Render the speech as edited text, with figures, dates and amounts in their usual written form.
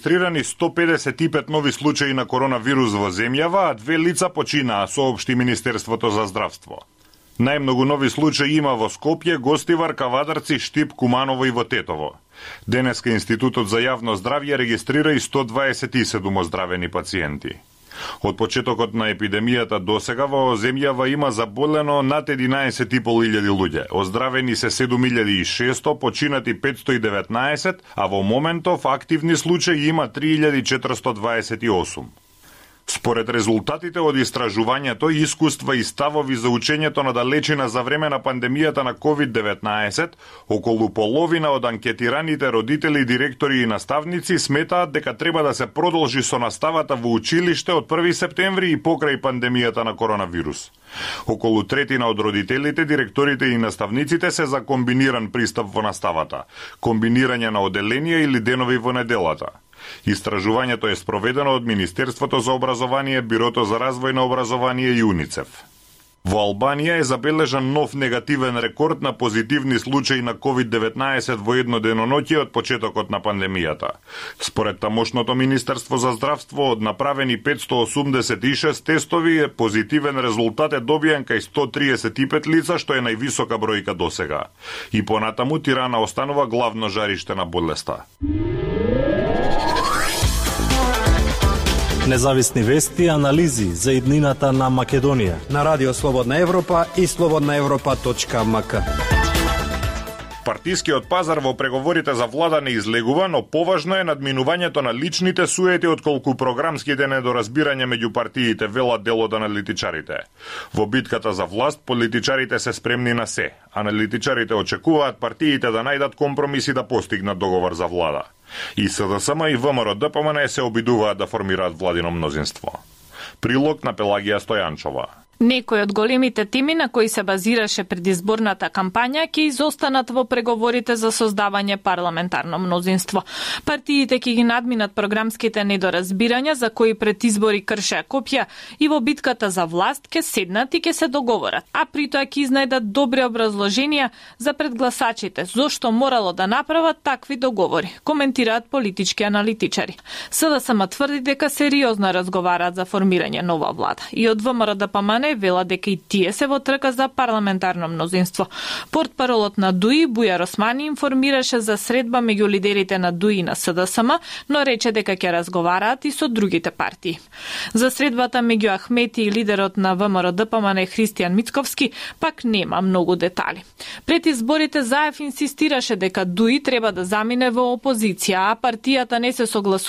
Регистрирани 155 нови случаи на коронавирус во земјава, а 2 лица починаа, соопшти Министерството за здравство. Најмногу нови случаи има во Скопје, Гостивар, Кавадарци, Штип, Куманово и во Тетово. Денеска Институтот за јавно здравје регистрира и 127 оздравени пациенти. Од почетокот на епидемијата досега во земјава има заболено над 11.500 луѓе, оздравени се 7.600, починати 519, а во моментов активни случаи има 3.428. Според резултатите од истражувањето, искуства и ставови за учењето на далечина за време на пандемијата на COVID-19, околу половина од анкетираните родители, директори и наставници сметаат дека треба да се продолжи со наставата во училиште од 1 септември и покрај пандемијата на коронавирус. Околу третина од родителите, директорите и наставниците се за комбиниран пристап во наставата, комбинирање на оделенија или денови во неделата. Истражувањето е спроведено од Министерството за образование, Бирото за развој на образование и УНИЦЕФ. Во Албанија е забележан нов негативен рекорд на позитивни случаи на COVID-19 во едно деноноќе од почетокот на пандемијата. Според тамошното Министерство за здравство, од направени 586 тестови, позитивен резултат е добиен кај 135 лица, што е највисока бројка досега. И понатаму Тирана останува главно жариште на болеста. Независни вести и анализи за иднината на Македонија на Радио Слободна Европа и slobodnaevropa.mk. Партискиот пазар во преговорите за влада не излегува, но поважно е надминувањето на личните суети отколку програмските недоразбирања меѓу партиите, велат дел од аналитичарите. Во битката за власт, политичарите се спремни на се. Аналитичарите очекуваат партиите да најдат компромиси да постигнат договор за влада. И СДСМ и ВМРО-ДПМН се обидуваат да формираат владино мнозинство. Прилог на Пелагија Стојанчова. Некои од големите теми на кои се базираше предизборната кампања ќе изостанат во преговорите за создавање парламентарно мнозинство. Партиите ќе ги надминат програмските недоразбирања за кои пред избори кршеа копја и во битката за власт ќе седнат и ќе се договорат, а при тоа ќе изнајдат добри образложенија за пред гласачите зошто морало да направат такви договори, коментираат политички аналитичари. СДСМ тврди дека сериозно разговараат за формирање нова влада и од ВМРО-ДПМН вела дека и тие се во трка за парламентарно мнозинство. Портпаролот на ДУИ Бујар Османи информираше за средба меѓу лидерите на ДУИ и на СДСМ, но рече дека ќе разговараат и со другите партии. За средбата меѓу Ахмети и лидерот на ВМРО-ДПМН Христијан Мицковски пак нема многу детали. Пред изборите Заев инсистираше дека ДУИ треба да замине во опозиција, а партијата не се согласува